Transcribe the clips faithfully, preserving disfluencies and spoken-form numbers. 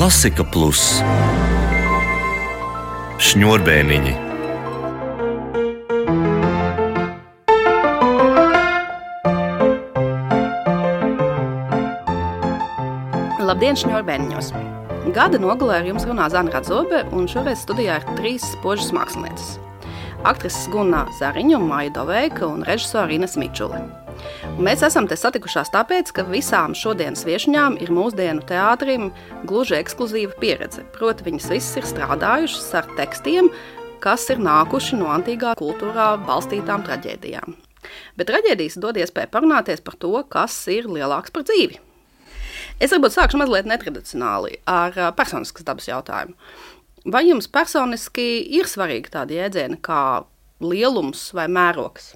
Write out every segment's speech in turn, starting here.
Klasika Plus Šņurbēniņi. Labdien, šņurbēniņos! Gada nogalē ar jums runā Zana Radzobe, un šoreiz studijā ir trīs spožas mākslinieces. Aktrises Guna Zariņa un Maija Doveika un režisora Ines Mičuli. Un mēs esam te satikušās tāpēc, ka visām šodienas viešņām ir mūsdienu teātrim gluži ekskluzīva pieredze. Proti, viņas visas ir strādājušas ar tekstiem, kas ir nākuši no antīgā kultūrā balstītām traģēdijām. Bet traģēdijas dod iespēju parunāties par to, kas ir lielāks par dzīvi. Es varbūt sākšu mazliet netradicionāli ar personiskas dabas jautājumu. Vai jums personiski ir svarīgi tādi jēdzieni kā lielums vai mērogs?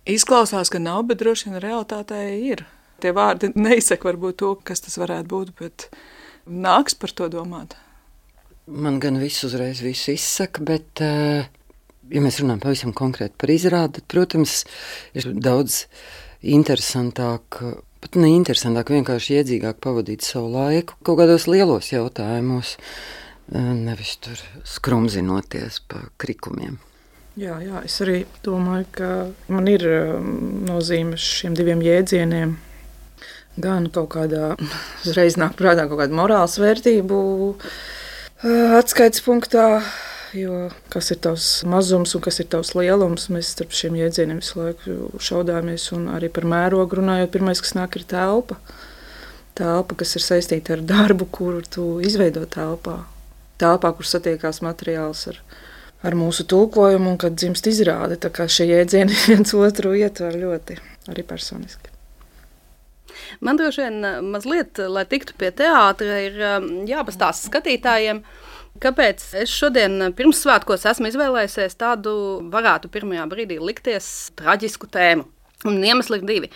Izklausās, ka nav, bet droši vien realitātē ir. Tie vārdi neizsaka varbūt to, kas tas varētu būt, bet nāks par to domāt. Man gan viss uzreiz visu izsaka, bet, ja mēs runājam pavisam konkrēti par izrādi, tad, protams, ir daudz interesantāk, pat ne interesantāk, vienkārši iedzīgāk pavadīt savu laiku kaut kādos lielos jautājumos, nevis tur skrumzinoties pa krikumiem. Jā, jā, es arī domāju, ka man ir nozīme šiem diviem jēdzieniem. Gan kaut kādā, uzreiz nāk prātā kaut kāda morāls vērtību atskaites punktā, jo kas ir tavs mazums un kas ir tavs lielums, mēs starp šiem jēdzieniem visu laiku šaudāmies, un arī par mērogu runājot, pirmais, kas nāk, ir telpa. Telpa, kas ir saistīta ar darbu, kuru tu izveido telpā. Telpā, kur satiekās materiāls ar ar mūsu tulkojumu un kad dzimst izrāde, tā kā šie jēdzieni viens otru ietver ļoti arī personiski. Man droši vien mazliet, lai tiktu pie teātra, ir jāpastāsta skatītājiem, kāpēc es šodien pirmssvētkos esmu izvēlējusies tādu, varētu pirmajā brīdī likties, traģisku tēmu. Un iemesli ir divi.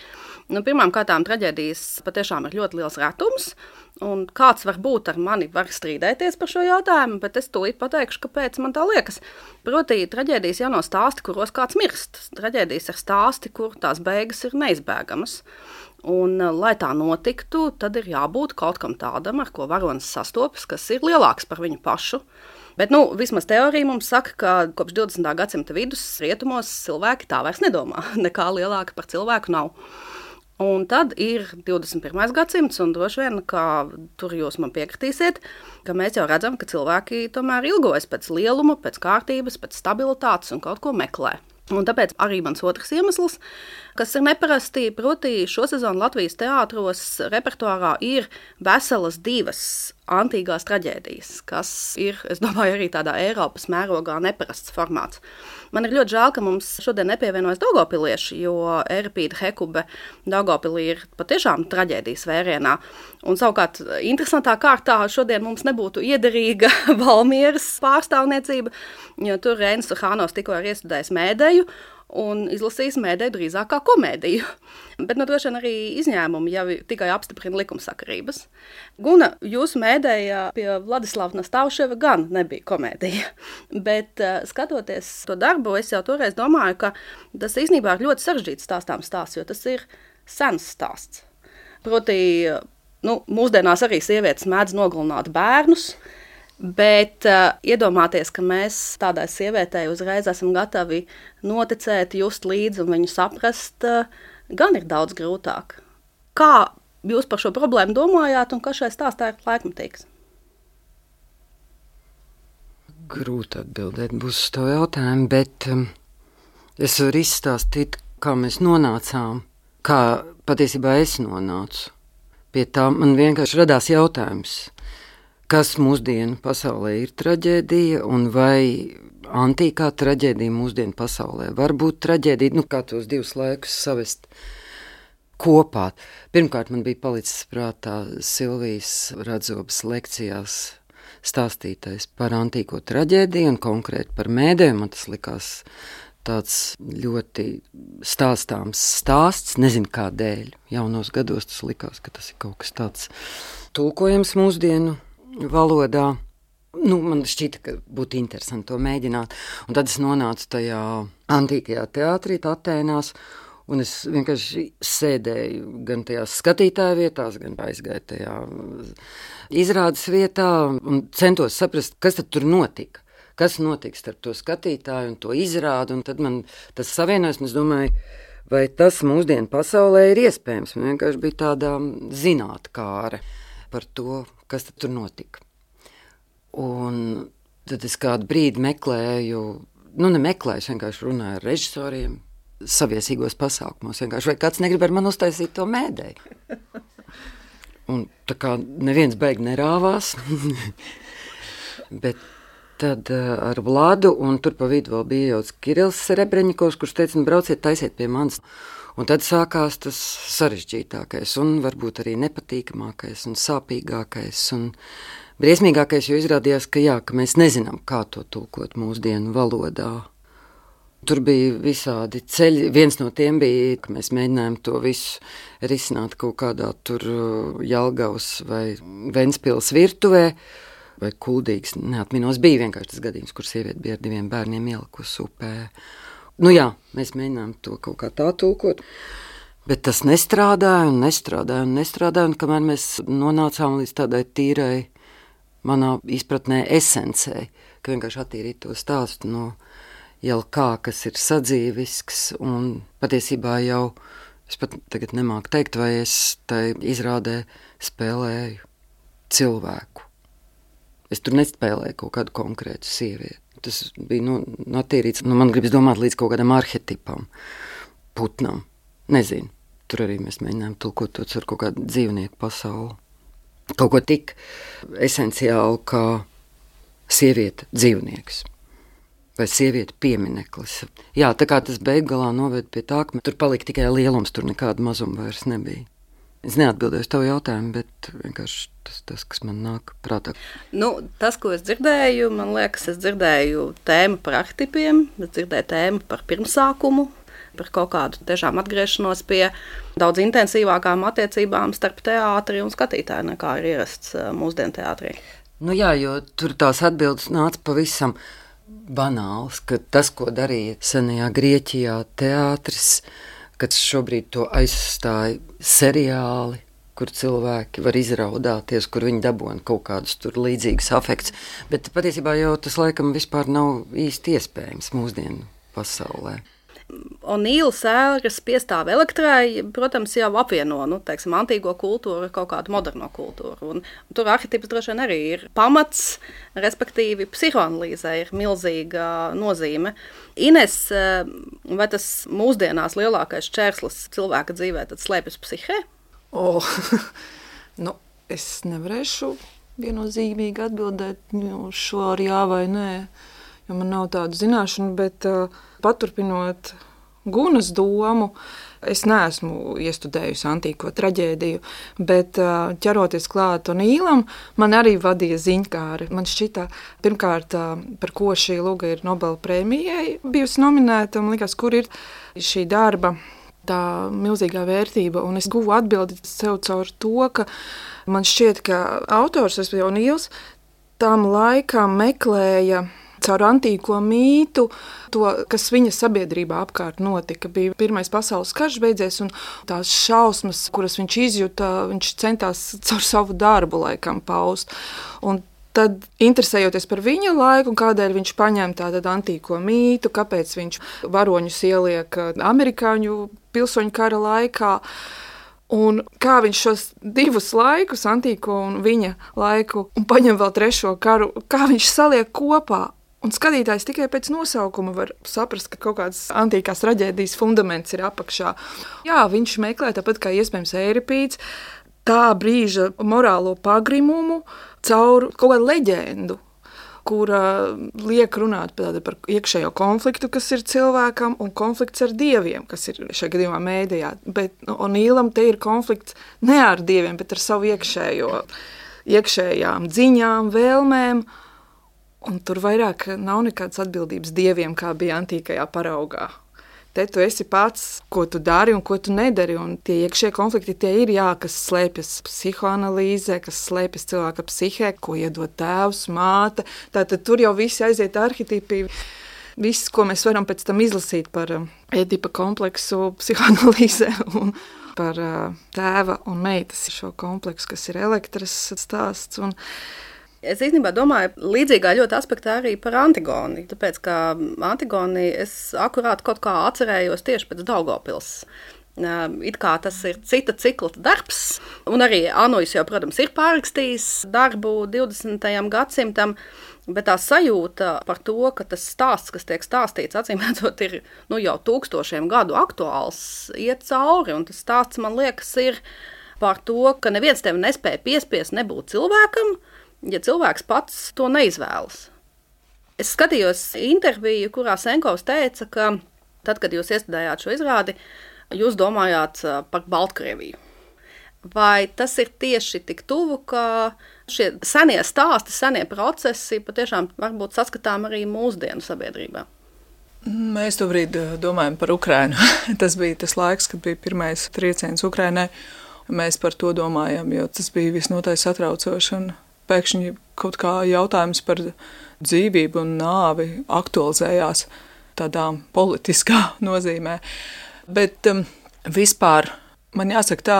Nu, pirmām kārtām traģēdijas patiešām ir ļoti liels retums, un kāds var būt ar mani, var strīdēties par šo jautājumu, bet es tūlīt pateikšu, kāpēc man tā liekas. Proti, traģēdijas jau nav stāsti, kuros kāds mirst. Traģēdijas ir stāsti, kur tās beigas ir neizbēgamas. Un, lai tā notiktu, tad ir jābūt kaut kam tādam, ar ko varonis sastopas, kas ir lielāks par viņu pašu. Bet, nu, vismaz teorija mums saka, ka kopš divdesmitā gadsimta vidus rietumos cilvēki tā vairs nedomā. Nekā lielāka par cilvēku nav. Un tad ir divdesmit pirmais gadsimts, un droši vien, ka tur jūs man piekritīsiet, ka mēs jau redzam, ka cilvēki tomēr ilgojas pēc lieluma, pēc kārtības, pēc stabilitātes un kaut ko meklē. Un tāpēc arī mans otrs iemesls, kas ir neparasti, proti šo sezonu Latvijas teātros repertuārā ir veselas divas antīgās traģēdijas, kas ir, es domāju, arī tādā Eiropas mērogā neparasts formāts. Man ir ļoti žēl, ka mums šodien nepievienojas daugavpilieši, jo Ērpīda Hekube Daugavpilī ir patiešām traģēdijas vērienā. Un savukārt interesantā kārtā šodien mums nebūtu iederīga Valmieras pārstāvniecība, jo tur Reinis Suhānovs tikko ir iestudējis mēdēju un izlasījis mēdēju drīzāk kā komēdiju. Bet nu, droši vien arī izņēmumi jau tikai apstiprina likumsakarības. Guna, jūsu mēdēja pie Vladislava Nastavševa gan nebija komēdija. Bet skatoties to darbu, es jau toreiz domāju, ka tas īstenībā ir ļoti sarežģīts stāstām stāsts, jo tas ir sens stāsts. Proti, nu, mūsdienās arī sievietes mēdz nogalināt bērnus, bet uh, iedomāties, ka mēs tādai sievietei uzreiz esam gatavi noticēt, just līdzi un viņu saprast, uh, gan ir daudz grūtāk. Kā jūs par šo problēmu domājāt un kas šai stāstā ir laikmatīgs? Grūti atbildēt būs uz to jautājumu, bet um, es varu izstāstīt, kā mēs nonācām, kā patiesībā es nonācu. Pie tā man vienkārši radās jautājums, kas mūsdienu pasaulē ir traģēdija un vai antīkā traģēdija mūsdienu pasaulē var būt traģēdija, nu kā tos divus laikus savest kopā. Pirmkārt, man bija palicis prātā Silvijas Radzobes lekcijās stāstītais par antīko traģēdiju un konkrēti par mēdēm. Man tas likās tāds ļoti stāstāms stāsts, nezinu kādēļ. Jaunos gados tas likās, ka tas ir kaut kas tāds tulkojams mūsdienu valodā. Nu, man šķita, ka būtu interesanti to mēģināt. Un tad es nonācu tajā antīkajā teātrī, Atēnās, Un es vienkārši sēdēju gan tajās skatītāju vietās, gan aizgāju tajā izrādes vietā un centos saprast, kas tad tur notika. Kas notiks starp to skatītāju un to izrādi, un tad man tas savienojas, un es domāju, vai tas mūsdienu pasaulē ir iespējams. Man vienkārši bija tāda zinātkāre par to, kas tad tur notika. Un tad es kādu brīdi meklēju, nu ne meklēju, es vienkārši runāju ar režisoriem, saviesīgos pasākumos, vienkārši, vai kāds negrib ar man uztaisīt to mēdēju. Un tā kā neviens beigi nerāvās, bet tad uh, ar Vladu, un tur pa vidu vēl bija jau Kirillis Serebreņikovs, kurš teica, nu brauciet, taisiet pie manis. Un tad sākās tas sarežģītākais, un varbūt arī nepatīkamākais, un sāpīgākais, un briesmīgākais, jo izrādījās, ka jā, ka mēs nezinām, kā to tulkot mūsdienu valodā. Tur bija visādi ceļi. Viens no tiem bija, ka mēs mēģinājām to visu risināt kaut kādā tur Jelgavas vai Ventspils virtuvē, vai Kuldīgas, neatminos, bija vienkārši tas gadījums, kur sieviete bija ar diviem bērniem ielikusi upē. Nu jā, mēs mēģinājām to kaut kā tā tulkot, bet tas nestrādāja un nestrādāja un nestrādāja, un kamēr mēs nonācām līdz tādai tīrai, manā izpratnē, esencei, ka vienkārši attīrīt to stāstu no jau kā, kas ir sadzīvisks, un patiesībā jau, es pat tagad nemāku teikt, vai es tai izrādē spēlēju cilvēku. Es tur nespēlēju kaut kādu konkrētu sievieti. Tas bija nu, attīrīts, nu man gribas domāt līdz kaut kādam arhetipam, putnam, nezinu. Tur arī mēs mēģinājām tulkot to ar kaut kādu dzīvnieku pasauli. Kaut ko tik esenciālu kā sieviete dzīvnieks vai sieviete piemineklis. Jā, tā kā tas beiggalā noved pie tā, ka tur palika tikai lielums, tur nekāda mazuma vairs nebija. Es neatbildēju uz tavu jautājumu, bet vienkārši tas, tas, kas man nāk prātā. Nu, tas, ko es dzirdēju, man liekas, es dzirdēju tēmu par arhetipiem, es dzirdēju tēmu par pirmsākumu, par kaut kādu tiešām atgriešanos pie daudz intensīvākām attiecībām starp teātri un skatītāju, nekā ir ierasts mūsdienu teātrī. Nu jā, jo tur tās atbildes nāca pavisam banāls, ka tas, ko darīja senajā Grieķijā teātris, kad šobrīd to aizstāja seriāli, kur cilvēki var izraudāties, kur viņi dabūna kaut kādus tur līdzīgus afektus, bet patiesībā jau tas laikam vispār nav īsti iespējams mūsdienu pasaulē. O'Neila sēras piestāve Elektrai, protams, jau apvieno, nu, teiksim, antīgo kultūru ar kaut kādu moderno kultūru. Un tur arhetips droši vien arī ir pamats, respektīvi psihoanalīzē ir milzīga nozīme. Ines, vai tas mūsdienās lielākais čērslis cilvēka dzīvē tad slēpjas psihē? O, nu, es nevarēšu viennozīmīgi atbildēt uz šo ar jā vai nē, jo man nav tādu zināšanu, bet uh, paturpinot Gunas domu, es neesmu iestudējusi antīko traģēdiju, bet uh, ķeroties klāt O'Neilam, man arī vadīja ziņkāri. Man šķita, pirmkārt, uh, par ko šī luga ir Nobela prēmijai bijusi nominēta, un likās, kur ir šī darba tā milzīgā vērtība, un es guvu atbildi sev caur to, ka man šķiet, ka autors, es jau O'Neils, tam laikam meklēja caur antīko mītu to, kas viņa sabiedrībā apkārt notika. Bija Pirmais pasaules karš beidzies, un tās šausmas, kuras viņš izjuta, viņš centās caur savu darbu laikam paust. Un tad, interesējoties par viņa laiku, un kādēļ viņš paņem tātad antīko mītu, kāpēc viņš varoņus ieliek amerikāņu pilsoņu kara laikā, un kā viņš šos divus laikus, antīko un viņa laiku, un paņem vēl trešo karu, kā viņš saliek kopā. Un skatītājs tikai pēc nosaukuma var saprast, ka kaut kāds antīkās traģēdijas fundaments ir apakšā. Jā, viņš meklē, tāpat kā iespējams Eiripīds, tā brīža morālo pagrimumu caur kaut kādu leģendu, kura liek runāt par, par iekšējo konfliktu, kas ir cilvēkam, un konflikts ar dieviem, kas ir šajā gadījumā mēdījā. Bet O'Neilam te ir konflikts ne ar dieviem, bet ar savu iekšējo, iekšējām dziņām, vēlmēm. Un tur vairāk nav nekādas atbildības dieviem, kā bija antīkajā paraugā. Te tu esi pats, ko tu dari un ko tu nedari, un tie iekšie konflikti tie ir, jā, kas slēpjas psihoanalīzē, kas slēpjas cilvēka psihē, ko iedod tēvs, māte. Tātad tur jau visi aiziet arhetipi. viss, ko mēs varam pēc tam izlasīt par Ēdipa kompleksu psihoanalīzē un par tēva un meitas šo kompleksu, kas ir Elektras stāsts. Un es īstenībā domāju līdzīgā ļoti aspektā arī par Antigoni, tāpēc, ka Antigoni es akurāt kaut kā atcerējos tieši pēc Daugavpils. It kā tas ir cita cikla darbs, un arī Anujs jau, protams, ir pārrakstījis darbu divdesmitajam gadsimtam, bet tā sajūta par to, ka tas stāsts, kas tiek stāstīts, acīmredzot, ir nu, jau tūkstošiem gadu aktuāls, iet cauri, un tas stāsts, man liekas, ir par to, ka neviens tevi nespēja piespiest nebūt cilvēkam, ja cilvēks pats to neizvēlas. Es skatījos interviju, kurā Senkovs teica, ka tad, kad jūs iestudējāt šo izrādi, jūs domājāt par Baltkrieviju. Vai tas ir tieši tik tuvu, ka šie senie stāsti, senie procesi patiešām varbūt saskatām arī mūsdienu sabiedrībā? Mēs tobrīd domājam par Ukrainu. Tas bija tas laiks, kad bija pirmais trieciens Ukrainai. Mēs par to domājam, jo tas bija visnotaļ satraucoši. Un pēkšņi kaut kā jautājums par dzīvību un nāvi aktualizējās tādā politiskā nozīmē. Bet um, vispār man jāsaka tā,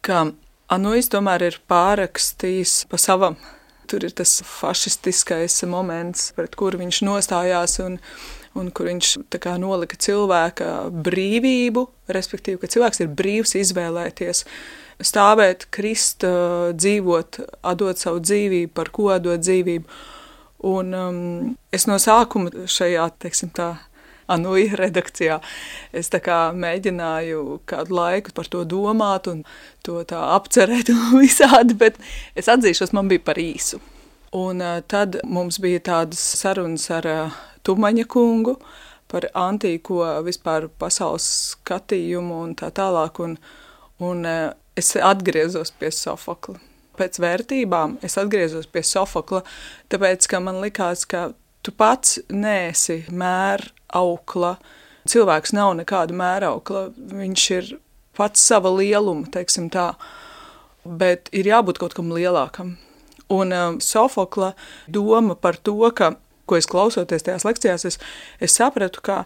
ka Anujs tomēr ir pārrakstījis pa savam. Tur ir tas fašistiskais moments, pret kuru viņš nostājās un, un kur viņš tā kā nolika cilvēka brīvību, respektīvi, ka cilvēks ir brīvs izvēlēties, stāvēt, krist, dzīvot, atdot savu dzīvību, par ko atdot dzīvību. Un um, es no sākuma šajā, teiksim tā, Anuja redakcijā. Es tā kā mēģināju kādu laiku par to domāt un to tā apcerēt un visādi, bet es atzīšos, man bija par īsu. Un uh, tad mums bija tādas sarunas ar uh, Tumaņa kungu par antīko vispār pasaules skatījumu un tā tālāk, un, un uh, es atgriezos pie Sofokla. Pēc vērtībām es atgriezos pie Sofokla, tāpēc, ka man likās, ka tu pats neesi mēr aukla. Cilvēks nav nekāda mēraukla, viņš ir pats sava lieluma, teiksim tā, bet ir jābūt kaut kam lielākam. Un um, Sofokla doma par to, ka, ko es klausoties tajās lekcijās, es, es sapratu, ka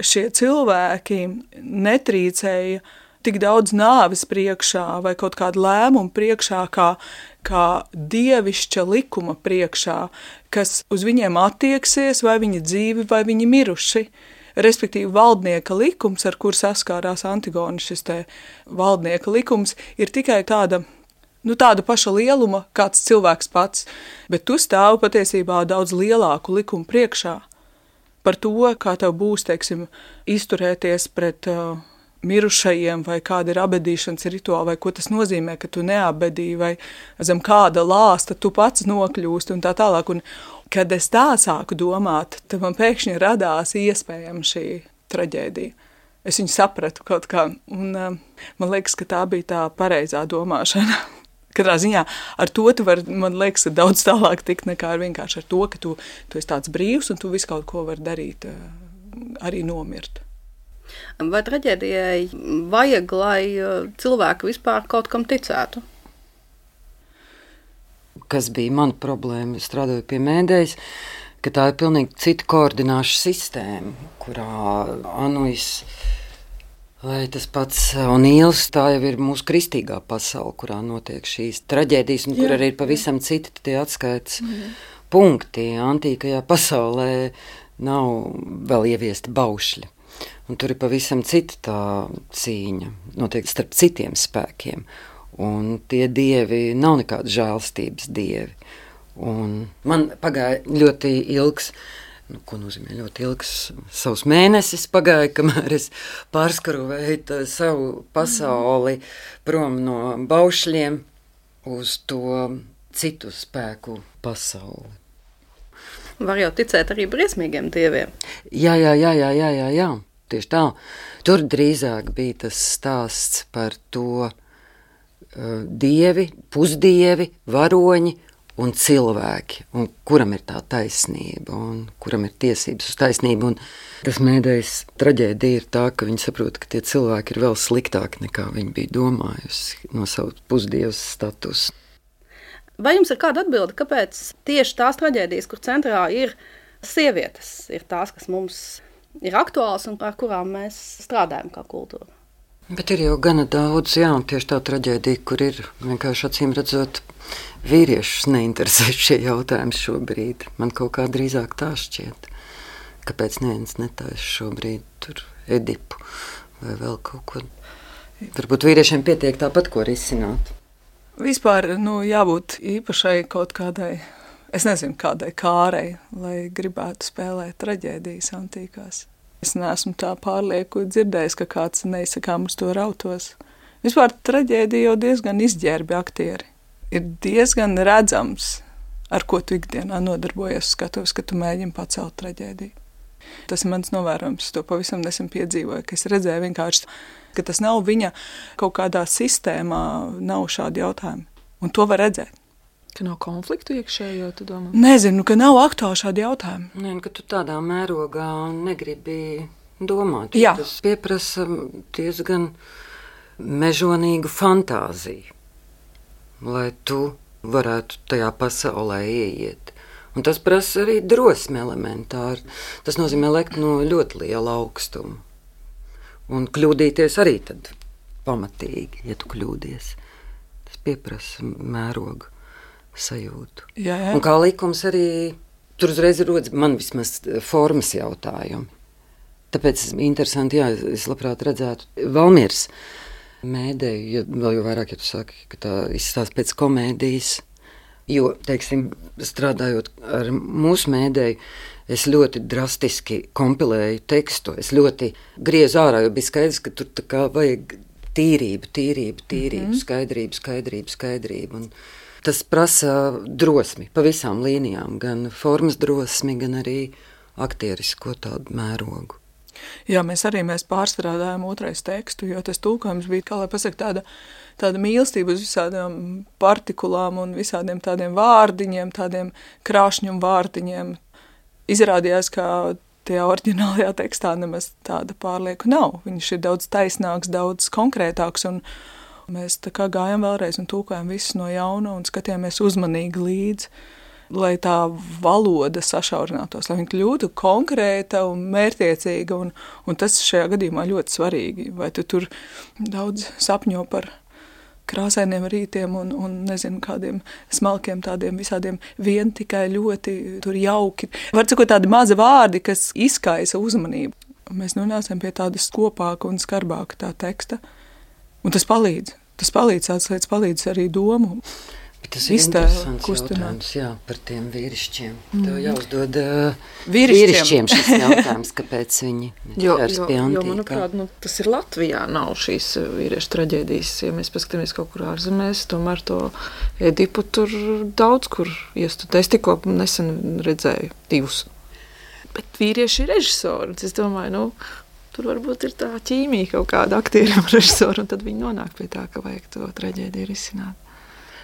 šie cilvēki netrīcēja tik daudz nāves priekšā vai kaut kādu lēmumu priekšā, kā, kā dievišķa likuma priekšā, kas uz viņiem attieksies, vai viņi dzīvi, vai viņi miruši. Respektīvi, valdnieka likums, ar kur saskārās Antigona, šis te valdnieka likums, ir tikai tāda, nu, tāda paša lieluma, kāds cilvēks pats, bet tu stāvi patiesībā daudz lielāku likumu priekšā par to, kā tev būs, teiksim, izturēties pret uh, mirušajiem, vai kāda ir abedīšanas rituāla, vai ko tas nozīmē, ka tu neabedīji, vai zem kāda lāsta tu pats nokļūsti un tā tālāk. Un kad es tā sāku domāt, tad man pēkšņi radās iespējama šī traģēdija. Es viņu sapratu kaut kā, un um, man liekas, ka tā bija tā pareizā domāšana. Katrā ziņā ar to tu vari, man liekas, daudz tālāk tikt nekā ar vienkārši ar to, ka tu, tu esi tāds brīvs un tu visu kaut ko vari darīt, arī nomirt. Vai traģēdijai vajag, lai cilvēki vispār kaut kam ticētu? Kas bija mana problēma, strādājot pie mēdējas, ka tā ir pilnīgi cita koordināšu sistēma, kurā Anujs vai tas pats Onīls, tā jau ir mūsu kristīgā pasaule, kurā notiek šīs traģēdijas, un kur arī ir pavisam citi tie atskaites mm. punkti. Antīkajā pasaulē nav vēl ieviesti baušļi. Un tur ir pavisam cita tā cīņa, notiek starp citiem spēkiem. Un tie dievi nav nekādi žēlstības dievi. Un man pagāja ļoti ilgs, nu, ko nozīmē ļoti ilgs, savus mēnesis pagāja, kamēr es pārskarovēju savu pasauli prom no baušļiem uz to citu spēku pasauli. Var jau ticēt arī briesmīgiem dieviem. Jā, jā, jā, jā, jā, jā, jā. Tieši tā. Tur drīzāk bija tas stāsts par to uh, dievi, pusdievi, varoņi un cilvēki, un kuram ir tā taisnība, un kuram ir tiesības uz taisnību. Un tas mēdējas traģēdija ir tā, ka viņi saprot, ka tie cilvēki ir vēl sliktāki nekā viņi bija domājusi no savu pusdievas statusu. Vai jums ir kāda atbilde, kāpēc tieši tās traģēdijas, kur centrā ir sievietes ir tās, kas mums ir aktuāls un ar kurām mēs strādājam kā kultūra. Bet ir jau gana daudz, jā, tieši tā traģēdija, kur ir vienkārši acīm redzot, vīriešus neinteresē šie jautājumi šobrīd. Man kaut kā drīzāk tā šķiet. Kāpēc neviens netaisa šobrīd tur Edipu vai vēl kaut ko? Varbūt vīriešiem pietiek tāpat, ko risināt. Vispār, nu, jābūt īpašai kaut kādai, es nezinu, kādai kārei, lai gribētu spēlēt traģēdijas antīkās. Es neesmu tā pārlieku dzirdējis, ka kāds neizsakām uz to rautos. Vispār traģēdija jau diezgan izģērbi aktieri. Ir diezgan redzams, ar ko tu ikdienā nodarbojies skatuves, ka tu mēģini pacelt traģēdiju. Tas ir mans novērojums, to pavisam nesen piedzīvoju, ka es redzēju vienkārši, ka tas nav viņa kaut kādā sistēmā, nav šādi jautājumi. Un to var redzēt. Ka nav konfliktu iekšējo, tu domā? Nezinu, ka nav aktuāli šādi jautājumi. Nē, ka tu tādā mērogā negribi domāt. Jā. Tas pieprasa diezgan mežonīgu fantāziju, lai tu varētu tajā pasaulē ieiet. Un tas prasa arī drosmi elementāri. Tas nozīmē lekt no ļoti liela augstuma. Un kļūdīties arī tad pamatīgi, ja tu kļūdies. Tas pieprasa mērogu sajūtu. Jā, jā. Un kā likums arī, tur uzreiz rodas man vismaz formas jautājumi. Tāpēc interesanti, jā, es labprāt redzētu Valmieras mēdēju, ja, vēl jau vairāk, ja tu saki, ka tā izstāsta pēc komēdijas, jo, teiksim, strādājot ar mūsu mēdēju, es ļoti drastiski kompilēju tekstu, es ļoti griezu ārā, jo bija skaidrs, ka tur tā kā vajag tīrību, tīrību, tīrību, mm-hmm. skaidrību, skaidrību, skaidrību, un tas prasa drosmi pa visām līnijām, gan formas drosmi, gan arī aktierisko tādu mērogu. Jā, mēs arī mēs pārstrādājām otrais tekstu, jo tas tulkojums bija, kā lai pasaka, tāda, tāda mīlestība uz visādām partikulām un visādiem tādiem vārdiņiem, tādiem krāšņum vārdiņiem. Izrādījās, ka tajā oriģinālajā tekstā nemaz tāda pārlieku nav. Viņš ir daudz taisnāks, daudz konkrētāks, un mēs tā kā gājām vēlreiz un tulkojām visus no jauna un skatījāmies uzmanīgi līdzi, lai tā valoda sašaurinātos, lai viņa kļūtu konkrēta un mērķtiecīga, un, un tas šajā gadījumā ļoti svarīgi. Vai tu tur daudz sapņo par krāsainiem rītiem un, un nezinu, kādiem smalkiem tādiem visādiem vien tikai ļoti tur jauki. Var cikot tādi mazi vārdi, kas izkaisa uzmanību. Mēs nonācām pie tādas kopāka un skarbāka tā teksta, un tas palīdz. Tas palīdz, tāds lietas palīdz arī domu. Bet tas ir interesants jautājums, jā, par tiem vīrišķiem. Mm. Tev jāuzdod uh, vīrišķiem. vīrišķiem šis jautājums, kāpēc viņi Jo, ķers jo, pie jo, antīkā. manuprāt, nu, tas ir Latvijā, nav šīs vīriešu traģēdijas. Ja mēs paskatāmies kaut kur ārzemēs, tomēr to Edipu tur daudz kur iestudē. Es tikko nesen redzēju divus. Bet vīrieši ir režisori. Es domāju, nu, tur varbūt ir tā ķīmija kaut kāda aktieriem režisoru, un tad viņi nonāk pie tā, ka vajag to traģēdiju risināt.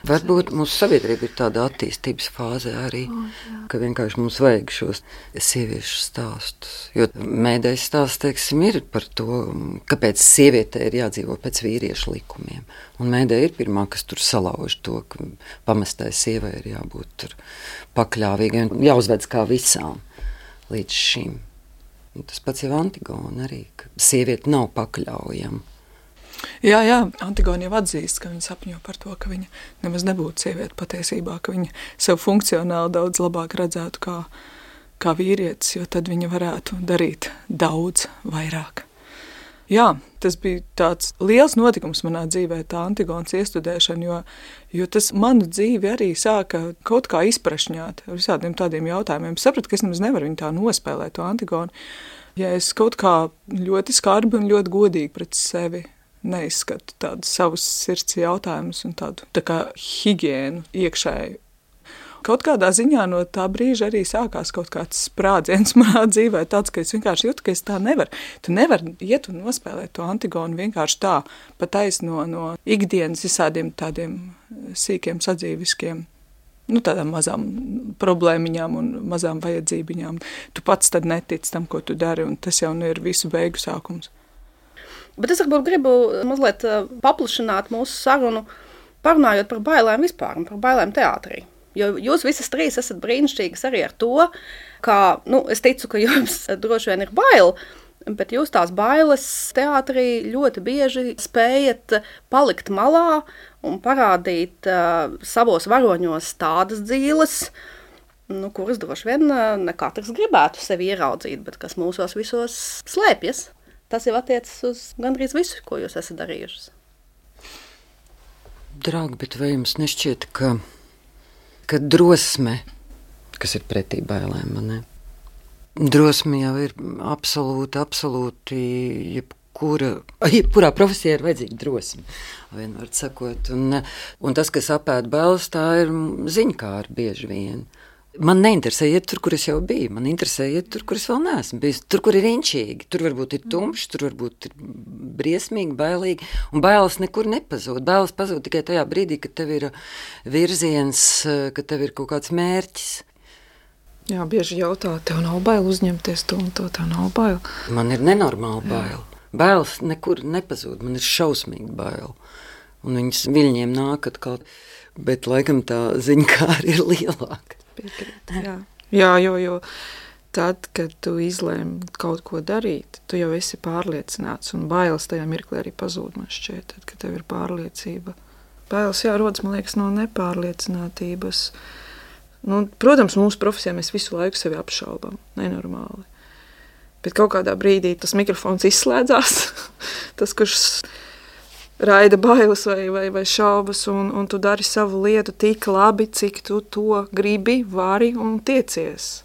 Varbūt mūsu sabiedrība ir tāda attīstības fāze arī, oh, ka vienkārši mums vajag šos sieviešu stāstus. Jo mēdējs stāsts, teiksim, ir par to, kāpēc sievietē ir jādzīvo pēc vīriešu likumiem. Un mēdēja ir pirmā, kas tur salauž to, ka pamestai sievai ir jābūt tur pakļāvīgai un jāuzvedz kā visām līdz šim. Un tas pats jau Antigona arī, ka sieviete nav pakļaujama. Jā, jā, Antigona jau atzīst, ka viņa sapņo par to, ka viņa nemaz nebūtu sieviete patiesībā, ka viņa sev funkcionāli daudz labāk redzētu kā, kā vīrietis, jo tad viņa varētu darīt daudz vairāk. Jā, tas bija tāds liels notikums manā dzīvē, tā Antigonas iestudēšana, jo, jo tas manu dzīvi arī sāka kaut kā izprašņāt ar visādiem tādiem jautājumiem. Es sapratu, ka es nemaz nevaru viņu tā nospēlēt, to Antigonu. Ja es kaut kā ļoti skarbi un ļoti godīgi pret sevi neizskatu tādus savus sirds jautājumus un tādu tā kā higiēnu iekšēju. Kaut kādā ziņā no tā brīža arī sākās kaut kāds sprādziens manā dzīvē, tāds, ka es vienkārši jūtu, ka es tā nevaru. Tu nevari iet un nospēlēt to Antigonu vienkārši tā, patais no, no ikdienas visādiem tādiem sīkiem sadzīviskiem, nu tādām mazām problēmiņām un mazām vajadzībiņām. Tu pats tad netici tam, ko tu dari, un tas jau ir visu beigu sākums. Bet es varbūt gribu mazliet paplašināt mūsu sarunu, parunājot par bailēm vispār un par bailēm teātrī. Jo jūs visas trīs esat brīnišķīgas arī ar to, ka, nu, es ticu, ka jums droši vien ir bail, bet jūs tās bailes teātrī ļoti bieži spējat palikt malā un parādīt uh, savos varoņos tādas dzīles, nu, kuras droši vien uh, ne katrs gribētu sevi ieraudzīt, bet kas mūsos visos slēpjas. Tas jau attiecas uz gandrīz visu, ko jūs esat darījušas. Draugi, bet vai jums nešķiet, ka, ka drosme, kas ir pretī bailēm, man ne? Drosme jau ir absolūti, absolūti, jebkura, jebkurā profesijā ir vajadzīga drosme, vienmēr sakot. Un, un tas, kas apēd bailes, tā ir ziņkāra bieži vien. Man neinteresē iet tur, kur es jau biju. Man interesē iet tur, kur es vēl neesmu bijis. Tur, kur ir inčīgi. Tur varbūt ir tumšs, tur varbūt ir briesmīgi, bailīgi. Un bailes nekur nepazūd. Bailes pazūd tikai tajā brīdī, kad tev ir virziens, kad tev ir kaut kāds mērķis. Jā, bieži jautā, tev nav bail uzņemties to un to, tev nav bail. Man ir nenormāli bail. Bailes nekur nepazūd. Man ir šausmīgi bail. Un viņas viļņiem nāk atkal. Bet laikam tā ziņkāra ir lielāka. Piekrīt, jā. jā, jo, jo tad, kad tu izlēmi kaut ko darīt, tu jau esi pārliecināts, un bailes tajā mirklī arī pazūd, man šķiet, tad, kad tev ir pārliecība. Bailes, jā, rodas, man liekas, no nepārliecinātības. Nu, protams, mūsu profesijā mēs visu laiku sevi apšaubam, nenormāli. Bet kaut kādā brīdī tas mikrofons izslēdzās, tas, kurš raida bailes vai, vai, vai šaubas, un, un tu dari savu lietu tik labi, cik tu to gribi, vari un tiecies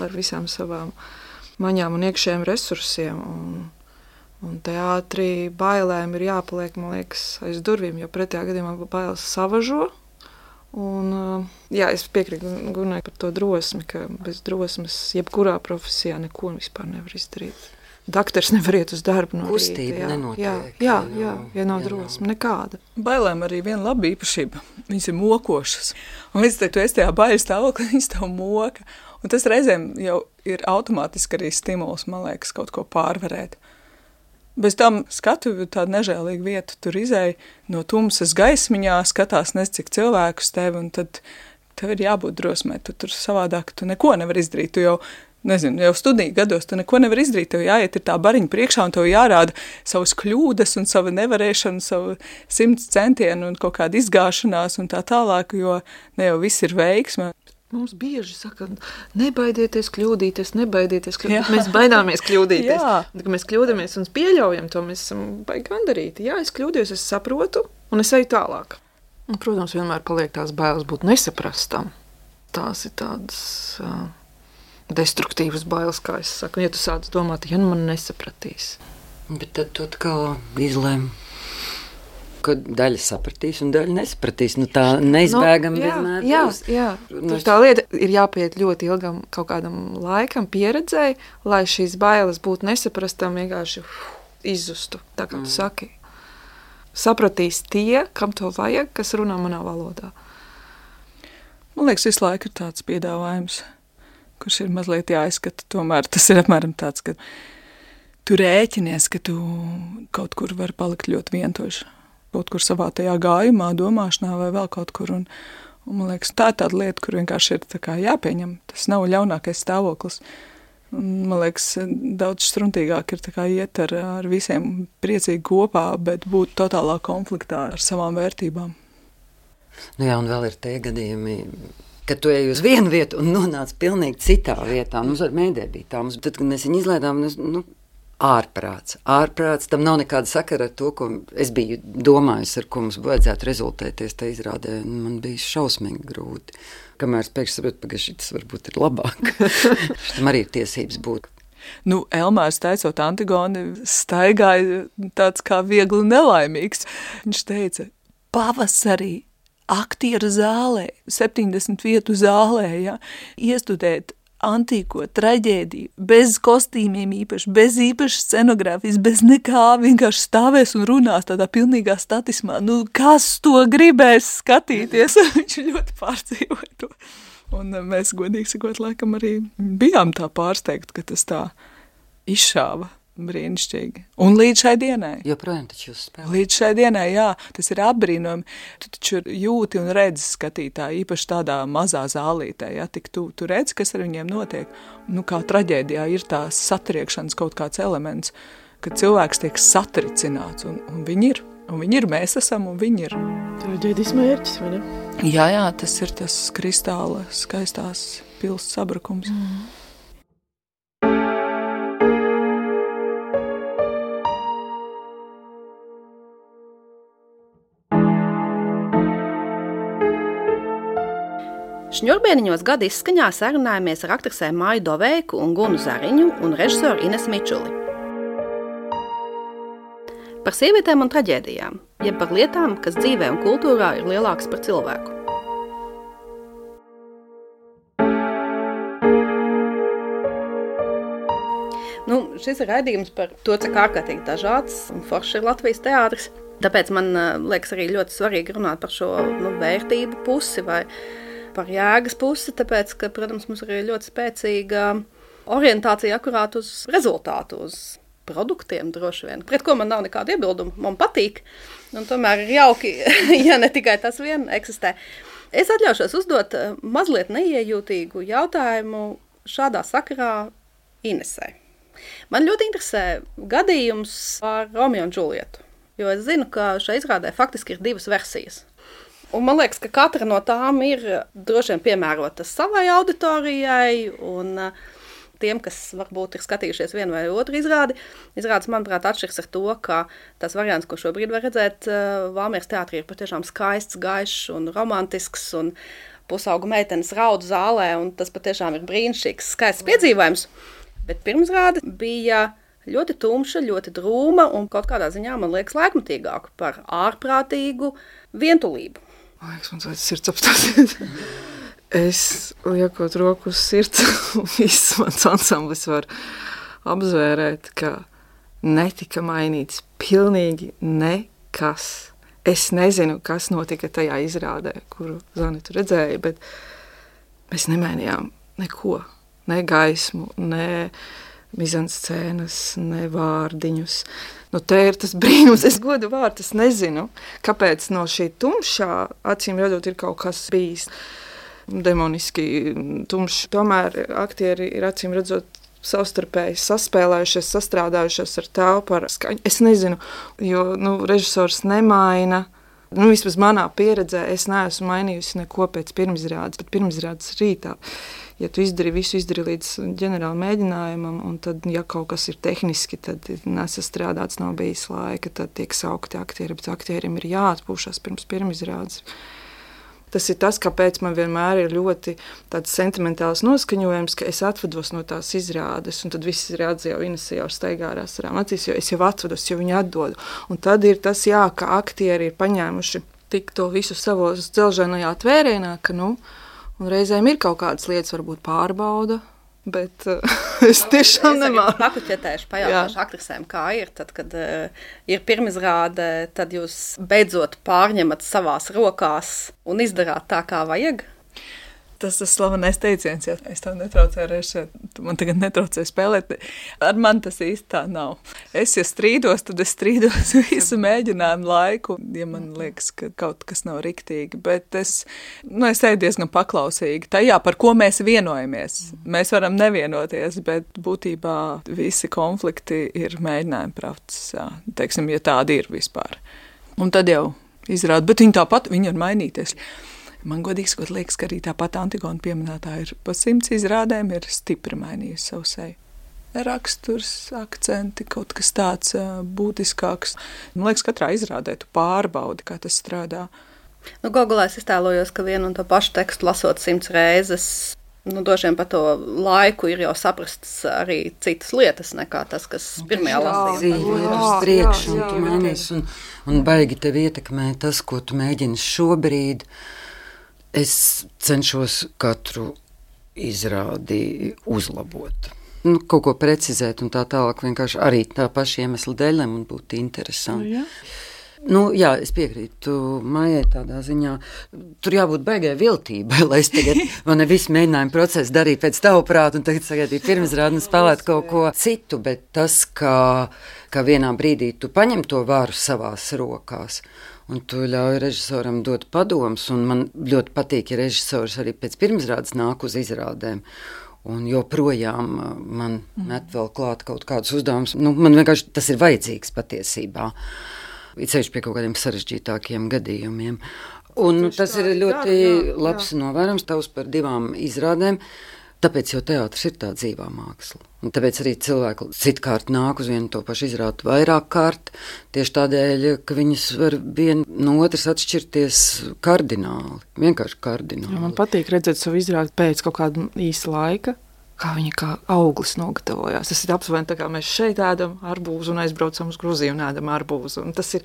ar visām savām maņām un iekšējiem resursiem. Un, un teātrī bailēm ir jāpaliek, man liekas, aiz durvīm, jo pretējā gadījumā bailes savažo. Un, jā, es piekrītu Gunai par to drosmi, ka bez drosmes jebkurā profesijā neko vispār nevar izdarīt. Daktars nevar iet uz darbu no Kustība rīta. nenotiek. Jā, jā, jā, jā, ja nav jā, drosme, nekāda. Bailēm arī viena laba īpašība. Viņas ir mokošas. Un līdz tu esi tajā baiļu stāvoklī, viņas tev moka. Un tas reizēm jau ir automātiski arī stimuls, man liekas, kaut ko pārvarēt. Bez tam skatu tādu nežēlīgu vietu tur izēja no tumsas gaismiņā, skatās nes cik cilvēkus tevi, un tad tev ir jābūt drosmē. Tu tur savādāk, tu neko nevar izdarīt. Tu jau Nezinu, jau studiju gados tu neko nevar izdarīt, tev jāiet ir tā bariņa priekšā un tev jārāda savas kļūdas un sava nevarēšana, savu simts centienu un kaut kāda izgāšanās un tā tālāk, jo ne jau viss ir veiksme. Mums bieži saka, nebaidieties kļūdīties, nebaidieties kļūdīties. Mēs baidāmies kļūdīties. Jā. Kad mēs kļūdamies un pieļaujam to, mēs esam baigi gandarīti. Jā, es kļūdījos, es saprotu un es eju tālāk. Un, protams, vienmēr paliek tās bailes būt nesaprastam. Tās ir tādas uh, destruktīvas bailes, kā es saku. Ja tu sāc domāt, ja nu man nesapratīs. Bet tad tu atkal izlēm, ka daļa sapratīs un daļa nesapratīs. Nu, tā neizbēgam nu, jā, vienmēr jā, būs. Jā, tur tā lieta ir jāpiet ļoti ilgam kaut kādam laikam, pieredzēji, lai šīs bailes būtu nesaprastam, vienkārši uf, izzustu, tā kā tu mm. saki. Sapratīs tie, kam to vajag, kas runā manā valodā. Man liekas, visu laiku ir tāds piedāvājums, kurš ir mazliet jāizskata. Tomēr tas ir apmēram tāds, ka tu rēķinies, ka tu kaut kur vari palikt ļoti vientoši. Kaut kur savā tajā gājumā, domāšanā vai vēl kaut kur. Un, un man liekas, tā ir tāda lieta, kur vienkārši ir tā kā jāpieņem. Tas nav ļaunākais stāvoklis. Un, man liekas, daudz struntīgāk ir tā kā iet ar, ar visiem priecīgi kopā, bet būt totālā konfliktā ar savām vērtībām. Nu jā, un vēl ir tie gadījumi, kad tu ej uz vienu vietu un nonāc pilnīgi citā vietā. Mums ar mēdē bija tā. Mums, tad, kad mēs viņu izlaidām, nu, ārprāts. Ārprāts, tam nav nekāda sakara ar to, ko es biju domājis, ar ko mums vajadzētu rezultēties. Tā izrādē man bija šausmīgi grūti. Kamēr es pēkšņi sapratu, ka šis varbūt ir labāk. Tam arī ir tiesības būt. Nu, Elmārs teicot Antigoni, staigāja tāds kā viegli nelaimīgs. Viņš teica, pavasarī aktieru zālē, septiņdesmit vietu zālē, ja, iestudēt antīko traģēdiju, bez kostīmiem īpaši, bez īpašas scenogrāfijas, bez nekā, vienkārši stāvēs un runās tādā pilnīgā statismā. Nu, kas to gribēs skatīties? Viņš ļoti pārdzīvoja to. Un mēs, godīgi sakot, laikam arī bijām tā pārsteigti, ka tas tā izšāva. brīnišķīgi. Un līdz šai dienai. Joprojām taču jūs spēlējat. Līdz šai dienai, jā, tas ir apbrīnojami. Tu taču jūti un redzi skatītāji, īpaši tādā mazā zālītē, ja, tik tu, tu redzi, kas ar viņiem notiek. Nu, kā traģēdijā ir tās satriekšanas kaut kāds elements, kad cilvēks tiek satricināts, un, un viņi ir. Un viņi ir, mēs esam, un viņi ir. Traģēdijas mērķis, vai ne? Jā, jā, tas ir tas kristāla skaistās pils sabrukums. Mm. Šņurbēniņos gada izskaņā sarunājamies ar aktrisēm Māju Doveiku un Gunu Zariņu un režisoru Inesu Mičuli. Par sievietēm un traģēdijām, jeb par lietām, kas dzīvē un kultūrā ir lielākas par cilvēku. Nu, šis ir raidījums par to, cik ārkārtīgi dažāds un foršs ir Latvijas teātris. Tāpēc man liekas arī ļoti svarīgi runāt par šo nu, vērtību pusi vai par jēgas pusi, tāpēc, ka, protams, mums ir ļoti spēcīga orientācija akurāt uz rezultātu, uz produktiem droši vien, pret ko man nav nekāda iebilduma, man patīk, un tomēr ir jauki, ja ne tikai tas vien eksistē. Es atļaušos uzdot mazliet neiejūtīgu jautājumu šādā sakarā Inesai. Man ļoti interesē gadījums ar Romeo un Džulietu, jo es zinu, ka šai izrādē faktiski ir divas versijas. Un man liekas, ka katra no tām ir droši vien piemērota savai auditorijai, un tiem, kas varbūt ir skatījušies vienu vai otru izrādi, izrādes, manuprāt, atšķirs ar to, ka tas variants, ko šobrīd var redzēt Valmieras teātrī, ir patiešām skaists, gaišs un romantisks, un pusaugu meitenes raud zālē, un tas patiešām ir brīnišķīgs, skaists piedzīvojums. Bet pirmsrāde bija ļoti tumša, ļoti drūma un kaut kādā ziņā, man liekas, laikmatīgāka par ārprātīgu vientulību. Man liekas, man tāds sirds apstāsies. Es liekot roku uz sirds, un viss mans ansamblis var apzvērēt, ka netika mainīts pilnīgi nekas. Es nezinu, kas notika tajā izrādē, kuru Zanitu redzēja, bet mēs nemainījām neko. Ne gaismu, ne mizanscēnas, ne vārdiņus. Nu, te ir tas brīnums. Es godu vārdu, es nezinu, kāpēc no šī tumšā, acīm redzot, ir kaut kas bijis demoniski tumšs. Tomēr aktieri ir acīm redzot savstarpēji saspēlējušies, sastrādājušies ar telpu, ar skaņu. Es nezinu, jo nu, režisors nemaina. Nu, vismaz manā pieredzē es neesmu mainījusi neko pēc pirmizrādes, bet pirmizrādes rītā. Ja tu izdari visu, izdari līdz ģenerāla mēģinājumam, un tad, ja kaut kas ir tehniski, tad nesastrādāts, nav bijis laika, tad tiek saukti aktieri, bet aktierim ir jāatpūšas pirms pirmizrādes. Tas ir tas, kāpēc man vienmēr ir ļoti tāds sentimentāls noskaņojums, ka es atvados no tās izrādes, un tad viss izrādes jau Inese jau steigā ar asarām acīs, jo es jau atvados, jo viņi atdodu. Un tad ir tas, jā, ka aktieri ir paņēmuši tik to visu savos dzelžainajā tvērēnā, ka, nu, un reizēm ir kaut kādas lietas, varbūt pārbauda, bet uh, es tiešām nemāku. Es pakuķetēšu, pajautāšu aktrisēm, kā ir, tad, kad uh, ir pirmizrāde, tad jūs beidzot pārņemat savās rokās un izdarāt tā, kā vajag? Tas tas slavenais teiciens, ja es tev netraucēju režisēt, tu man tagad netraucēji spēlēt. Ar man tas īsti tā nav. Es, ja strīdos, tad es strīdos visu mēģinājumu laiku, ja man liekas, ka kaut kas nav riktīgi. Bet es, nu, es eju diezgan paklausīgi tajā, par ko mēs vienojamies. Mēs varam nevienoties, bet būtībā visi konflikti ir mēģinājumi pravts, jā, teiksim, ja tādi ir vispār. Un tad jau izrāda, bet viņi tāpat, viņi var mainīties. Man godīgi sakot, liekas, ka arī tāpat Antigona pieminētā ir pa simts izrādēm, ir stipri mainījusi savu seju. Raksturs, akcenti, kaut kas tāds uh, būtiskāks. Man liekas, katrā izrādē tu pārbaudi, kā tas strādā. Nu, Gogolā es iztēlojos, ka vienu un to pašu tekstu lasot simts reizes, nu, droši vien pa to laiku ir jau saprasts arī citas lietas nekā tas, kas pirmajā lasījumā. Dzīve ir uz priekšu, un tu mainīs, un, un baigi tev ietekmē tas, ko tu mēģini šobrīd. Es cenšos katru izrādi uzlabot. Nu, kaut ko precizēt un tā tālāk, vienkārši arī tā paša iemesla dēļ, lai man būtu interesanti. Nu, ja. Nu, jā, es piekrītu Maijai tādā ziņā. Tur jābūt baigai viltībai, lai es tagad, man ne visu mēģinājumu procesu darītu pēc tavu prātu un tagad sagaidītu pirmizrādi un spēlētu kaut ko citu, bet tas, ka, ka vienā brīdī tu paņem to varu savās rokās un tu ļauj režisoram dot padomus, un man ļoti patīk, ja režisors arī pēc pirmizrādes nāk uz izrādēm. Un joprojām man met vēl klāt kaut kādus uzdevumus. Nu, man vienkārši tas ir vajadzīgs patiesībā. It sevišķi pie kaut kādiem sarežģītākiem gadījumiem. Un Tieši tas tā, ir ļoti jā, jā, labs jā. novērams tavs par divām izrādēm, tāpēc jau teātris ir tā dzīvā māksla. Un tāpēc arī cilvēki citkārt nāk uz vienu to pašu izrādi vairāk kārt, tieši tādēļ, ka viņas var viena no otras atšķirties kardināli, vienkārši kardināli. Jā, man patīk redzēt savu izrādi pēc kaut kāda īsa laika, kā viņa kā auglis nogatavojās. Tas ir aptuveni tā kā mēs šeit ēdam arbūzu un aizbraucam uz Gruziju un ēdam arbūzu. Un tas ir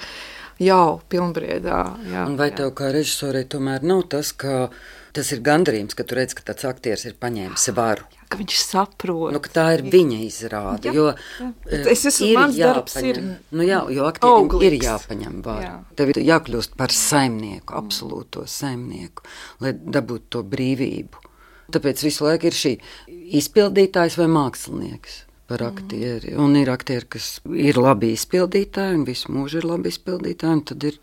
jau pilnbriedā. Jā, un vai jā. tev kā režisorei tomēr nav tas, ka tas ir gandarījums, ka tu redz, ka tāds aktieris ir paņēmis varu? Jā, ka viņš saprot. Nu, ka tā ir viņa izrāde, jo jā. Es esmu, mans jāpaņem, darbs ir nu jā, jo aktierim auglīgs. Ir jāpaņem varu. Jā. Tev ir jākļūst par saimnieku, absolūto saimnieku, lai dabūtu to brīvību. Tāpēc visu laiku ir šī izpildītājs vai mākslinieks par aktieri. Un ir aktieri, kas ir labi izpildītāji, un visu mūžu ir labi izpildītāji, un tad ir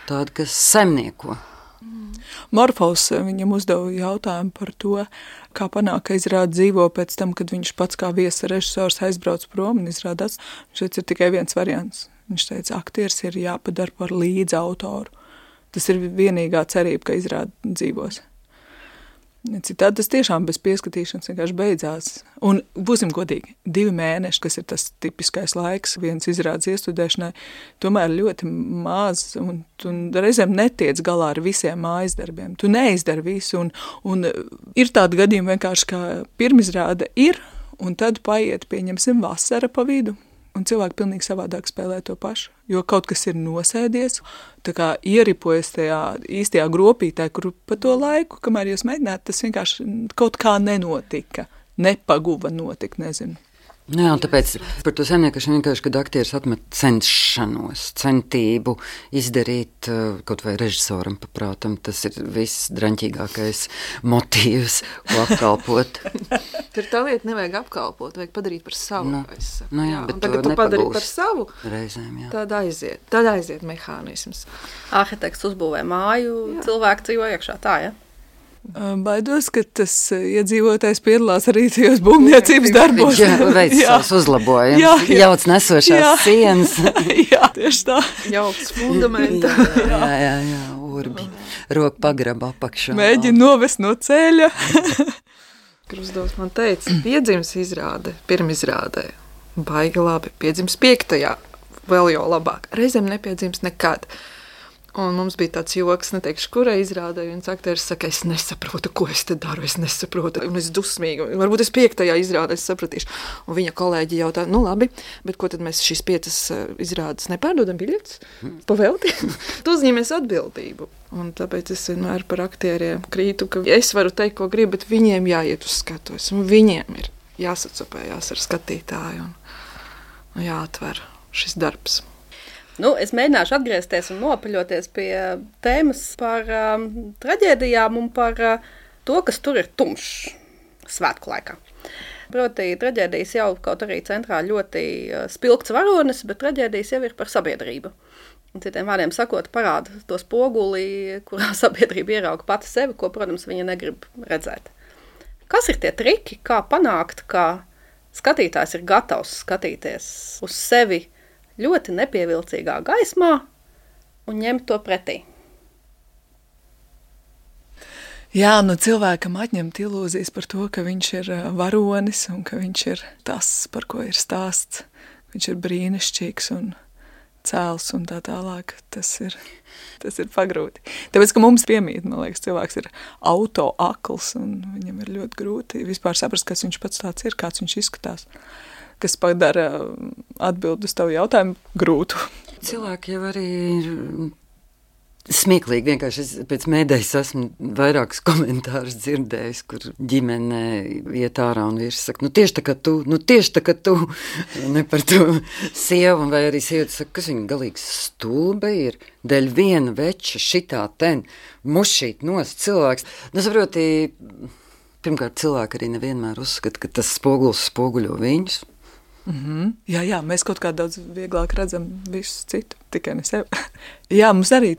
tādi, kas saimnieko. Morfos viņam uzdeva jautājumu par to, kā panāk, ka izrāda dzīvo pēc tam, kad viņš pats kā viesa režisors aizbrauc prom un izrādās. Šeit ir tikai viens variants. Viņš teica, aktieris ir jāpadara par līdz autoru. Tas ir vienīgā cerība, ka izrāda dzīvos. Citādi tas tiešām bez pieskatīšanas vienkārši beidzās. Un būsim godīgi, divi mēneši, kas ir tas tipiskais laiks viens izrādes iestudēšanai, tomēr ļoti maz, un tu reizēm netiec galā ar visiem mājas darbiem. Tu neizdari visu, un, un ir tādi gadījumi vienkārši, kā pirmizrāde ir, un tad paiet, pieņemsim, vasara pa vidu. Un cilvēki pilnīgi savādāk spēlē to pašu, jo kaut kas ir nosēdies, tā kā ieripojas tajā īstajā gropītē, kur pa to laiku, kamēr jūs mēģināt, tas vienkārši kaut kā nenotika, nepaguva notikt, nezinu. Jā, un tāpēc par to saimniekašanu vienkārši, kad aktieris atmet cenšanos, centību izdarīt kaut vai režisoram paprātam, tas ir viss draņķīgākais motīvs, ko apkalpot. Tur tā lieta nevajag apkalpot, vajag padarīt par savu. Nu, nu jā, jā, bet tagad tu padari par savu, reizēm, jā. Tad aiziet, tad aiziet mehānisms. Arhitekts uzbūvē māju, jā. Cilvēki dzīvo iekšā tā, ja? Baidos, ka tas iedzīvotājs piedalās arī tajos būvniecības darbos. Jā, veic savus uzlabojumus, jā, jā. Jauc nesošās jā. Sienas. Jā, tieši tā. Jauks fundamenta. Jā, jā, jā, jā, urbi. Roku pagraba apakšā. Mēģina novest no ceļa. Krusdovs man teica, piedzims izrāde, pirmizrādē. Baigi labi, piedzims piektajā, vēl jau labāk. Reizēm nepiedzims nekad. Un mums bija tāds joks, neteikšu, kurai izrādē, un aktieris saka, es nesaprotu, ko es te daru, es nesaprotu, un es dusmīgi, varbūt es piektajā izrādē es sapratīšu. Un viņa kolēģi jautā, nu labi, bet ko tad mēs šīs piecas izrādes nepārdodam biļetes? Pavelti? Tu uzņemies atbildību. Un tāpēc es vienmēr par aktieriem krītu, ka es varu teikt, ko gribu, bet viņiem jāiet uz skatuves, un viņiem ir jāsacopējās ar skatītāju, un jāatver šis darbs. Nu, es mēģināšu atgriezties un nopaļoties pie tēmas par um, traģēdijām un par uh, to, kas tur ir tumšs svētku laikā. Proti, traģēdijas jau kaut arī centrā ļoti uh, spilgts varonis, bet traģēdijas jau ir par sabiedrību. Un citiem vārdiem sakot, parāda to spoguli, kurā sabiedrība ierauga pati sevi, ko, protams, viņa negrib redzēt. Kas ir tie triki, kā panākt, ka skatītājs ir gatavs skatīties uz sevi ļoti nepievilcīgā gaismā un ņemt to pretī? Jā, nu cilvēkam atņemt ilūzijas par to, ka viņš ir varonis un ka viņš ir tas, par ko ir stāsts. Viņš ir brīnišķīgs un cēls un tā tālāk. Tas ir, tas ir pagrūti. Tāpēc, ka mums piemīt, man liekas, cilvēks ir auto akls un viņam ir ļoti grūti vispār saprast, kas viņš pats tāds ir, kāds viņš izskatās. Kas padara atbildi uz tavu jautājumu grūtu. Cilvēki jau arī ir Smieklīgi vienkārši es pēc mēdējas esmu vairākus komentārus dzirdējis, kur ģimene iet ārā un vīrs saka, nu tieši tā kā tu, nu tieši tā kā tu, ne par to sievu, vai arī sievietes saka, kas viņa galīgs stulba ir, dēļ viena veča šitā ten, mušīt nost cilvēks. Nu, saproti, pirmkārt, cilvēki arī nevienmēr uzskata, ka tas spogulis spoguļo viņus. Mm-hmm. Jā, jā, mēs kaut kā daudz vieglāk redzam visu citu, tikai ne sevi. Jā, mums arī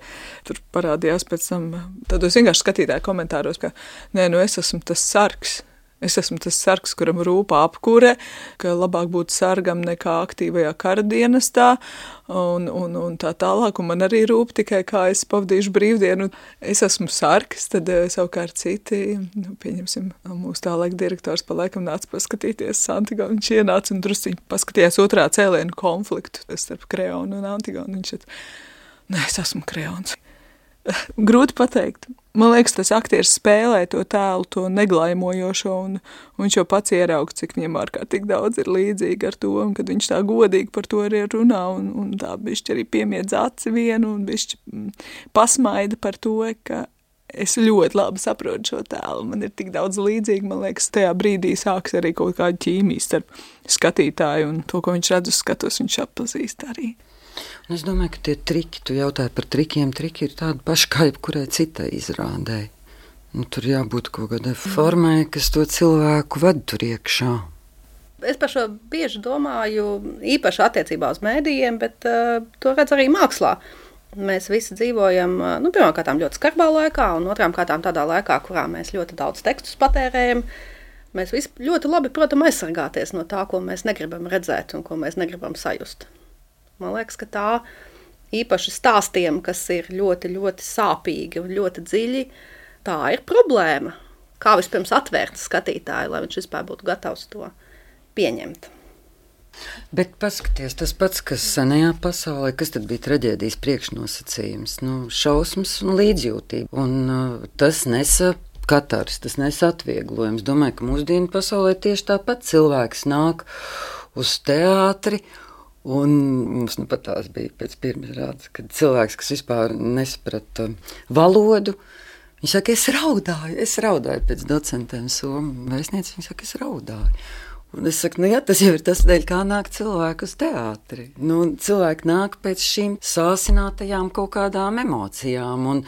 tur parādījās pēc tam tādos vienkārši skatītāju komentāros, ka nē, nu es esmu tas sargs. Es esmu tas sargs, kuram rūpā apkūre, ka labāk būt sargam nekā aktīvajā kara dienestā un, un, un tā tālāk. Un man arī rūp tikai, kā es pavadīšu brīvdienu. Es esmu sargs, tad savukārt citi, nu, pieņemsim, mūsu tā laika direktors pa laikam nāca paskatīties Antigonu. Viņš ienāca un drusciņi paskatījās otrā cēlienu konfliktu starp Kreonu un Antigonu. Viņš šeit, nē, es esmu Kreons. Grūti pateikt. Man liekas, tas aktieris spēlē to tēlu, to neglaimojošo, un, un viņš jau pats ieraug, cik viņam ārkārtīgi daudz ir līdzīgi ar to, un kad viņš tā godīgi par to arī runā, un, un tā bišķi arī piemiedz aci vienu, un bišķi pasmaida par to, ka es ļoti labi saprotu šo tēlu. Man ir tik daudz līdzīgi, man liekas, tajā brīdī sāks arī kaut kāda ķīmija starp skatītāju, un to, ko viņš redz uz skatos, viņš atpazīst arī. Un es domāju, ka tie triki, tu jautāji par trikiem, triki ir tādi paši kā jebkurai citai izrādē. Nu, tur jābūt kaut kādai formai, kas to cilvēku ved tur iekšā. Es par šo bieži domāju, īpaši attiecībā uz mēdījiem, bet uh, to redz arī mākslā. Mēs visi dzīvojam, uh, nu, pirmām kārtām ļoti skarbā laikā, un otrām kārtām tādā laikā, kurā mēs ļoti daudz tekstus patērējam. Mēs visi ļoti labi, protams, aizsargāties no tā, ko mēs negribam redzēt un ko mēs negribam sajust. Man liekas, ka tā īpaši stāstiem, kas ir ļoti, ļoti sāpīgi un ļoti dziļi, tā ir problēma. Kā vispirms atvērt skatītāju, lai viņš vispār būtu gatavs to pieņemt. Bet paskaties, tas pats, kas senajā pasaulē, kas tad bija traģēdijas priekšnosacījums, nu, šausmas un līdzjūtība. Un uh, tas nesa katars, tas nesa atvieglojums. Domāju, ka mūsdienu pasaulē tieši tāpat cilvēks nāk uz teātri, un mums nu pat tās bija pēc pirmizrādes, kad cilvēks, kas vispār nesaprata valodu, viņš saka, es raudāju, es raudāju pēc docentiem somu vēstnieci, viņš saka, es raudāju. Un es saku, nu jā, tas jau ir tas dēļ, kā nāk cilvēku uz teātri. Nu, cilvēki nāk pēc šīm sāsinātajām kaut kādām emocijām, un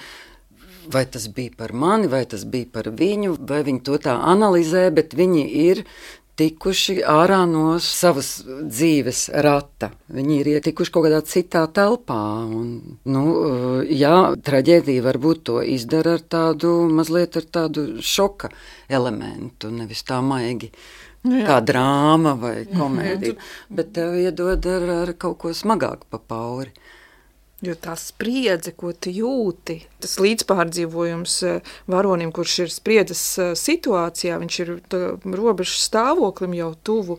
vai tas bija par mani, vai tas bija par viņu, vai viņi to tā analizē, bet viņi ir tikuši ārā no savas dzīves rata. Viņi ir ietikuši kaut kādā citā telpā. Un, nu, jā, traģēdija varbūt to izdara ar tādu, mazliet ar tādu šoka elementu, nevis tā maigi jā. Kā drāma vai komēdija, bet tev iedod ar, ar kaut ko smagāku pa pauri. Jo tā spriedze, ko tu jūti, tas līdzpārdzīvojums varonim, kurš ir spriedzes situācijā, viņš ir robežas stāvoklim jau tuvu,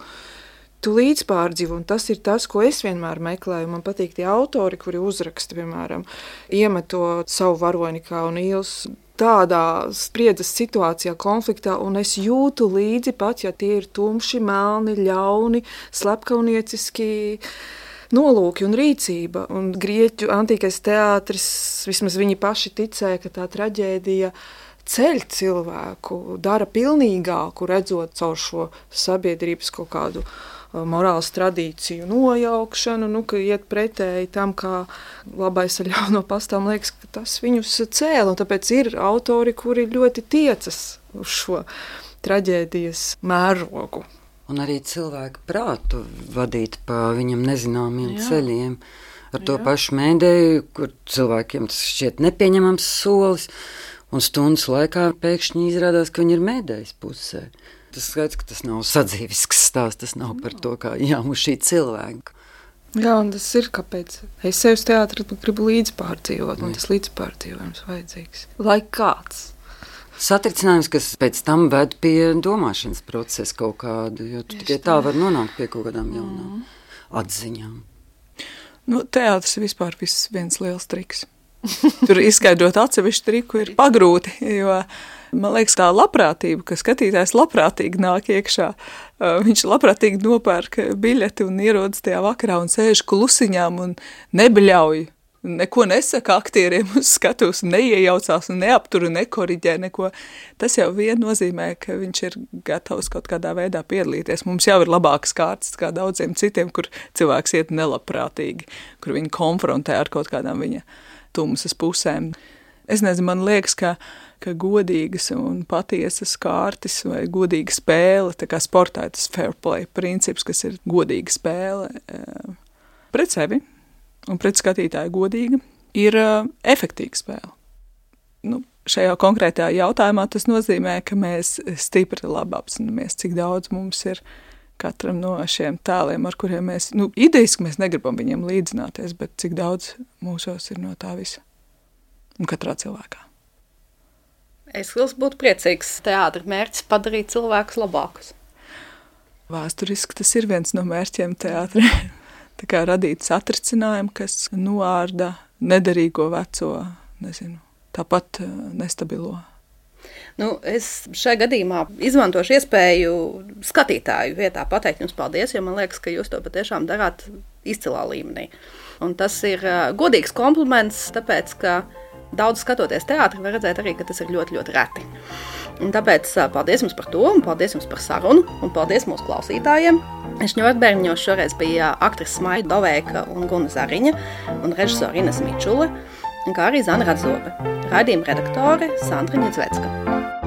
tu līdzpārdzīvo, un tas ir tas, ko es vienmēr meklēju. Man patīk tie autori, kuri uzraksta, piemēram, iemeto savu varoni kā un īls tādā spriedzes situācijā, konfliktā, un es jūtu līdzi pat, ja tie ir tumši, melni, ļauni, slepkaunieciski nolūki un rīcība. Un grieķu antīkais teātris, vismaz viņi paši ticēja, ka tā traģēdija ceļ cilvēku, dara pilnīgāku, redzot caur šo sabiedrības kaut kādu morāls tradīciju nojaukšanu, nu, ka iet pretēji tam, kā labais ar ļauno pastāv, man liekas, ka tas viņus cēla, un tāpēc ir autori, kuri ļoti tiecas uz šo traģēdijas mērogu. Un arī cilvēku prātu vadīt pa viņam nezināmiem jā. Ceļiem. Ar to jā. Pašu mēdēju, kur cilvēkiem tas šķiet nepieņemams solis, un stundas laikā pēkšņi izrādās, ka viņi ir mēdējas pusē. Tas skaidrs, ka tas nav sadzīvisks stāsts, tas nav par to, kā jāmuš šī cilvēka. Jā, un tas ir, kāpēc es sev uz teātri gribu līdzpārdzīvot, un tas līdzpārdzīvojums vajadzīgs. Lai kāds. Satricinājums, kas pēc tam ved pie domāšanas procesa kaut kādu, jo tu tikai tā var nonākt pie kaut kādām jaunām mm. atziņām. Nu, teātris ir vispār viss viens liels triks. Tur izskaidrot atsevišķu triku ir pagrūti, jo man liekas tā labprātība, ka skatītājs labprātīgi nāk iekšā. Viņš labprātīgi nopērk biļeti un ierodas tajā vakarā un sēž klusiņām un nebeļauj neko nesaka aktieriem uz skatuves, neiejaucās un neaptur un nekoriģē neko. Tas jau vien nozīmē, ka viņš ir gatavs kaut kādā veidā piedalīties. Mums jau ir labākas kārtas kā daudziem citiem, kur cilvēks iet nelabprātīgi, kur viņi konfrontē ar kaut kādām viņa tumsas pusēm. Es nezinu, man liekas, ka, ka godīgas un patiesas kārtas vai godīga spēle, tā kā sportā tas fair play princips, kas ir godīga spēle pret sevi un pret skatītāju godīga, ir efektīga spēle. Nu, šajā konkrētajā jautājumā tas nozīmē, ka mēs stipri labi apzināmies, cik daudz mums ir katram no šiem tēliem, ar kuriem mēs, nu, idejiski mēs negribam viņiem līdzināties, bet cik daudz mūsos ir no tā visa. Un katrā cilvēkā. Es būtu priecīgs teātra mērķis padarīt cilvēkus labākus. Vēsturiski tas ir viens no mērķiem teātrē. Tā kā radīt satricinājumu, kas noārda nederīgo veco, nezinu, tāpat nestabilo. Nu, es šajā gadījumā izmantošu iespēju skatītāju vietā pateikt jums paldies, jo man liekas, ka jūs to patiešām darāt izcilā līmenī. Un tas ir godīgs kompliments, tāpēc, ka daudz skatoties teātri var redzēt arī, ka tas ir ļoti, ļoti reti. Un tāpēc paldies jums par to, un paldies jums par sarunu, un paldies mūsu klausītājiem. Šņurbērņos šoreiz bija aktrise Maija Doveika un Guna Zariņa, un režisora Ines Mičule, kā arī Zana Radzobe. Raidījuma redaktore Sandra Ņedzvecka.